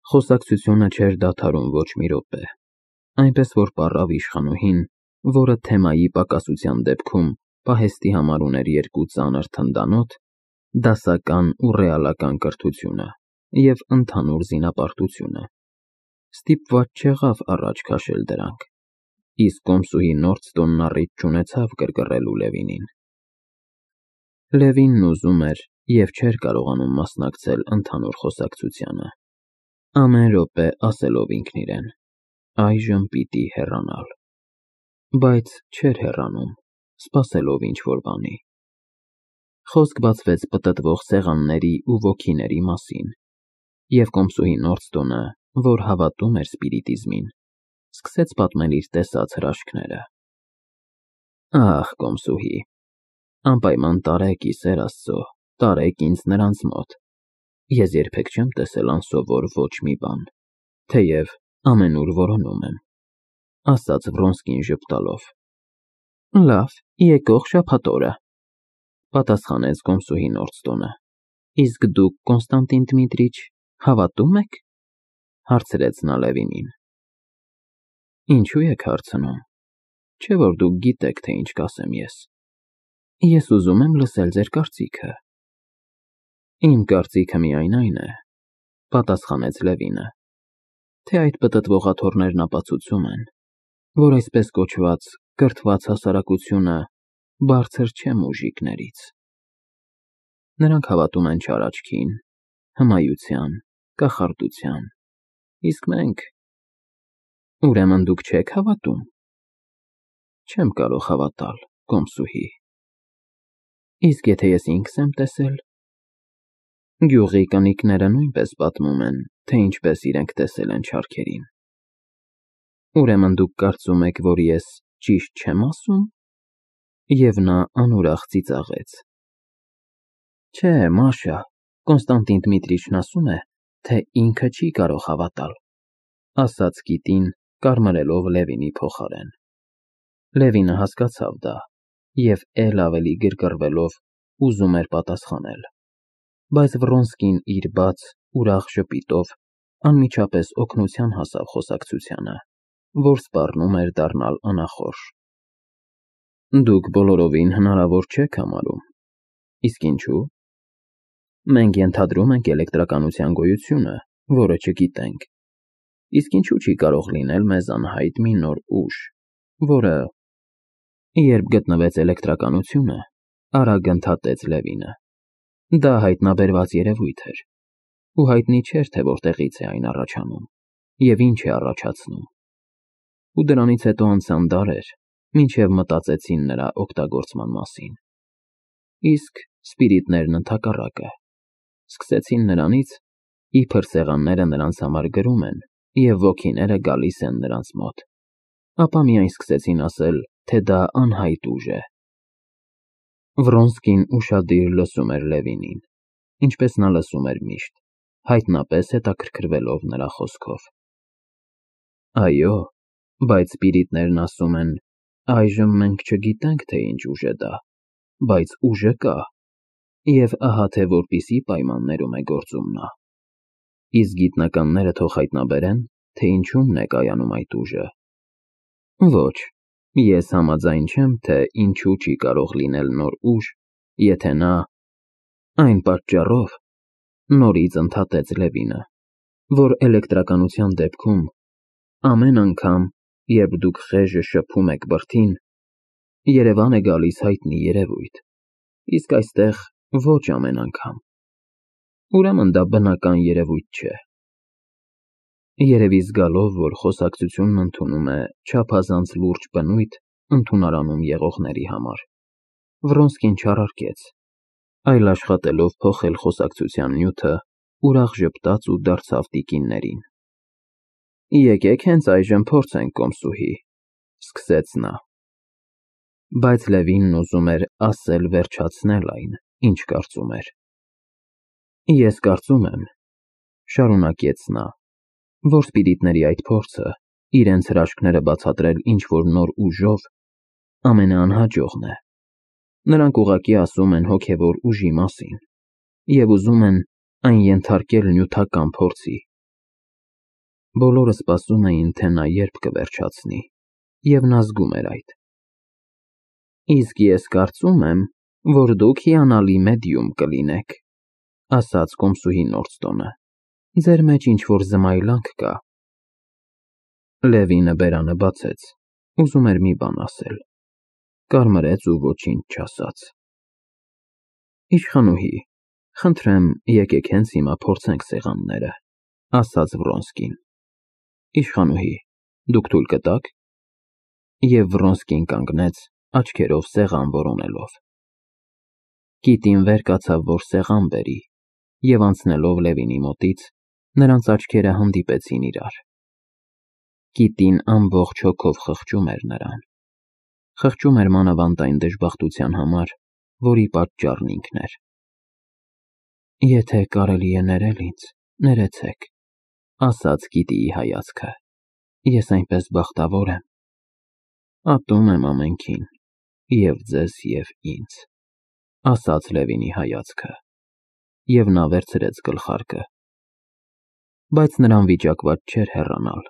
Խոսակցությունը չէր դադարում ոչ մի րոպե, այնպես որ պառավ իշխանուհին, որը թեմայի պակասության դեպքում պահեստի համար ուներ երկու ծանր թնդանոթ, դասական ու ռեալական կրթությունը և ընդհանուր զինապարտությունը, ստիպված չեղավ առաջ քաշել դրանք, իսկ կոմսուհի Նորդստոնն առիթ չունեցավ գրգռելու Լևինին։ Լևինն ուզում էր և չէր կարողանում մասնակցել ընդհանուր խոսակցությանը, ամեն րոպե ասելով ինքն իրեն. այժմ պիտի հեռանալ, բայց չէր հեռանում, սպասելով ինչ-որ բանի։ Խոսք բացվեց պտտվող սեղանների ու ոգիների մասին, և կոմսուհի Նորդստոնը, որ հավատում էր սպիրիտիզմին, սկսեց պատմել իր տեսած հրաշքները։ Ահ, կոմսուհի, անպայման տարեք ի սեր Աստծո, տարեք ինձ նրանց մոտ, ես երբեք չեմ տեսել անսովոր ոչ մի բան, թեև ամենուր որոնում եմ, ասաց Վրոնսկին ժպտալով։ Լավ, եկող շաբաթ օրը, պատասխանեց կոմսուհի Նորդստոնը։ Իսկ դուք, Կոնստանտին Դմիտրիչ, հավատում եք, հարցրեց նա Լևինին։ Ինչու եք հարցնում, չէ՞ որ դուք գիտեք, թե ինչ կասեմ ես։ Ես ուզում եմ լսել ձեր կարծիքը։ Իմ կարծիքը միայն այն է, պատասխանեց Լևինը, թե այդ պտտվող աթոռներն ապացուցում են, որ այսպես կոչված կրթված հասարակությունը բարձր չէ մուժիկներից։ Նրանք հավատում են չար աչքին, հմայության, կախարդության, իսկ մենք… Ուրեմն դուք չեք հավատում։ Չեմ կարող հավատալ, կոմսուհի։ Իսկ եթե ես ինքս եմ տեսել։ Գյուղի կնիկները նույնպես պատմում են, թե ինչպես իրենք տեսել են չարքերին։ Ուրեմն դուք կարծում եք, որ ես ճիշտ չեմ ասում։ Եվ նա անուրախ ծիծաղեց։ Չէ, Մաշա, Կոնստանտին Դմիտրիչն ասում է, թե ինքը չի կարող հավատալ, ասաց կիտին, կարմրելով Լևինի փոխարեն։ Լևինը հասկացավ դա և էլ ավելի գրգռվելով ուզում էր պատասխանել, բայց Վրոնսկին իր բաց, ուրախ ժպիտով անմիջապես օգնության հասավ խոսակցությանը, որ սպառնում էր դառնալ անախորժ։ Դուք բոլորովին հնարավոր չեք համարում։ Իսկ ինչու՞։ Մենք ենթադրում ենք էլեկտրականության գոյությունը, որը չգիտենք։ Իսկ ինչու՞ չի կարող լինել մեզ անհայտ մի նոր ուժ, որը… Երբ գտնվեց էլեկտրականությունը, արագ ընդհատեց Լևինը, դա հայտնաբերված երևույթ էր, ու հայտնի չէր, թե որտեղից է այն առաջանում և ինչ է առաջացնում։ Ու դրանից հետո անցան դարեր, մինչև մտածեցին նրա օգտագործման մասին։ Իսկ սպիրիտներն ընդհակառակը, սկսեցին նրանից, իբր սեղանները նրանց համար գրում են և ոգիները գալիս են նրանց մոտ, ապա միայն սկսեցին ասել, թե դա անհայտ ուժ է։ Վրոնսկին ուշադիր լսում էր Լևինին, ինչպես նա լսում էր միշտ, հայտնապես հետաքրքրվելով նրա խոսքով։ Այո, բայց սպիրիտներն ասում են, այժմ մենք չգիտենք, թե ինչ ուժ է դա, բայց ուժը կա, և ահա թե որպիսի պայմաններում է գործում նա։ Իսկ գիտնականները թող հայտնաբերեն, թե ինչումն է կայանում այդ ուժը։ Ոչ, ես համաձայն չեմ, թե ինչու չի կարող լինել նոր ուժ, եթե նա… Այն պատճառով, նորից ընդհատեց Լևինը, որ էլեկտրականության դեպքում ամեն անգամ, երբ դուք խեժը շփում եք բրդին, երևան է գալիս հայտնի երևույթ, իսկ այստեղ ոչ ամեն անգամ։ Ուրեմն դա բնական երևույթ չէ։ Երևի զգալով, որ խոսակցությունն ընդունում է չափազանց լուրջ բնույթ ընդունարանում եղողների համար, Վրոնսկին չարարկեց, այլ աշխատելով փոխել խոսակցության նյութը, ուրախ ժպտաց ու դարձավ տիկիններին։ Եկեք հենց այժմ փորձենք, կոմսուհի, սկսեց նա։ Բայց Լևինն ուզում էր ասել վերջացնել այն, ինչ կարծում էր։ Ես կարծում եմ, շարունակեց նա, որ սպիրիտների այդ փորձը իրենց հրաշքները բացատրել ինչ-որ նոր ուժով ամենաանհաջողն է։ Նրանք ուղղակի ասում են հոգևոր ուժի մասին և ուզում են այն ենթարկել նյութական փորձի։ Բոլորը սպասում էին, թե նա երբ կվերջացնի, և նա զգում էր այդ։ Իսկ ես կարծում եմ, որ դուք հիանալի մեդիում կլինեք, ասաց կոմսուհի Նորդստոնը, ձեր մեջ ինչ-որ զմայլանք կա։ Լևինը բերանը բացեց, ուզում էր մի բան ասել, կարմրեց ու ոչինչ չասաց։ Իշխանուհի, խնդրեմ, եկեք հենց հիմա փորձենք սեղանները, ասաց Վրոնսկին։ Իշխանուհի, դուք թույլ կտաք։ Եվ Վրոնսկին կանգնեց, աչքերով սեղան որոնելով։ Կիտին վեր կացավ, որ սեղան բերի, և անցնելով Լևինի մոտից, նրանց աչքերը հանդիպեցին իրար։ Կիտին ամբողջ հոգով խղճում էր նրան։ Խղճում էր մանավանդ այն դժբախտության համար, որի պատճառն ինքն էր։ Եթե կարելի է ներել ինձ, ներեցեք, ասաց Կիտիի հայացքը, ես այնպես բախտավոր եմ։ Ատում եմ ամենքին, և ձեզ, և ինձ, ասաց Լևինի հայացքը, և նա վերցրեց գլխարկը։ Բայց նրան վիճակված չէր հեռանալ։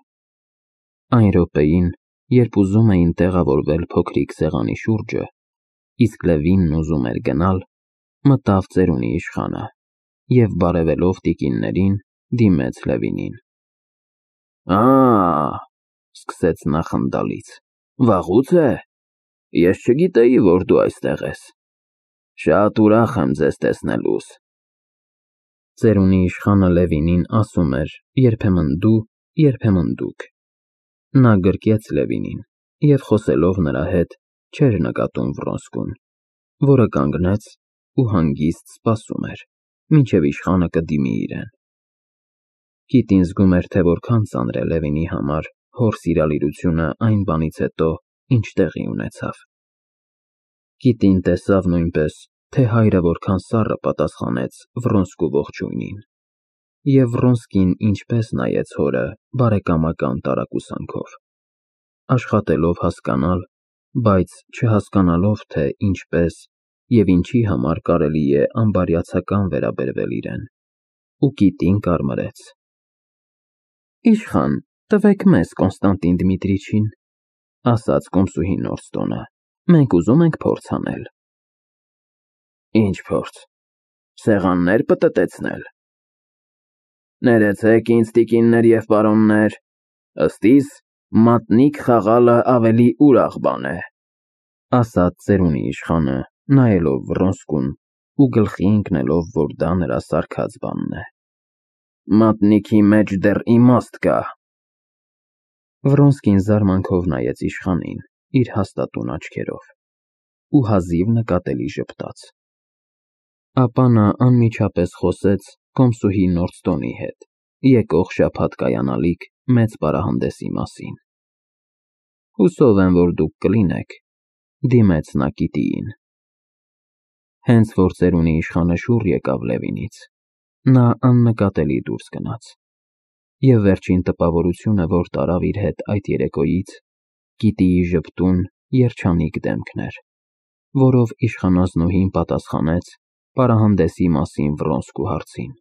Այն րոպեին, երբ ուզում էին տեղավորվել փոքրիկ սեղանի շուրջը, իսկ Լևինն ուզում էր գնալ, մտավ ծերունի իշխանը և բարևելով տիկիններին, դիմեց Լևինին։ Սկսեց նա խնդալից, վաղուց է։ Ես չգիտեի, որ դու այստեղ ես։ Շատ ուրախ եմ ձեզ տեսնելուս։ Ծերունի իշխանը Լևինին ասում էր երբեմն դու, երբեմն դուք։ Նա գրկեց Լևինին և խոսելով նրա հետ չէր նկատում Վրոնսկուն, որը կանգնեց ու հանգիստ սպասում էր, մինչև իշխանը կդիմի իրեն։ Կիտին զգում էր, թե որքան ծանր է Լևինի համար հոր սիրալիրությունը այն բանից հետո, ինչ տեղի ունեցավ։ Կիտին տեսավ նույնպես, թե հայրը որքան սառը պատասխանեց Վրոնսկու ողջույնին, և Վրոնսկին ինչպես նայեց հորը բարեկամական տարակուսանքով, աշխատելով հասկանալ, բայց չհասկանալով, թե ինչպես և ինչի համար կարելի է անբարյացակամ վերաբերվել իրեն, ու կիտին կարմրեց։ Իշխան, տվեք մեզ Կոնստանտին Դմիտրիչին, ասաց կոմսուհի Նորդստոնը, մենք ուզում ենք փորձ անել։ Ինչ փորձ, սեղաններ պտտեցնել։ Ներեցեք ինձ, տիկիններ և պարոններ, ըստ իս, մատնիկ խաղալը ավելի ուրախ բան է, ասաց ծերունի իշխանը, նայելով Վրոնսկուն ու գլխի ընկնելով, որ դա նրա սարքած բանն է։ Մատնիքի մեջ դեռ իմաստ կա։ Վրոնսկին զարմանքով նայեց իշխանին իր հաստատուն աչքերով ու հազիվ նկատելի ժպտաց։ Ապա նա անմիջապես խոսեց կոմսուհի Նորդստոնի հետ եկող շաբաթ կայանալիք մեծ պարահանդեսի մասին։ Հուսով եմ, որ դուք կլինեք, դիմեց նա Կիտիին։ Հենց որ ծերունի իշխանը շուռ եկավ Լևինից, նա աննկատելի դուրս գնաց, և վերջին տպավորությունը, որ տարավ իր հետ այդ երեկոյից, Կիտիի ժպտուն, երջանիկ դեմքն էր, որով իշխանազնուհին պատասխանեց պարահանդեսի մասին Վրոնսկու հարցին։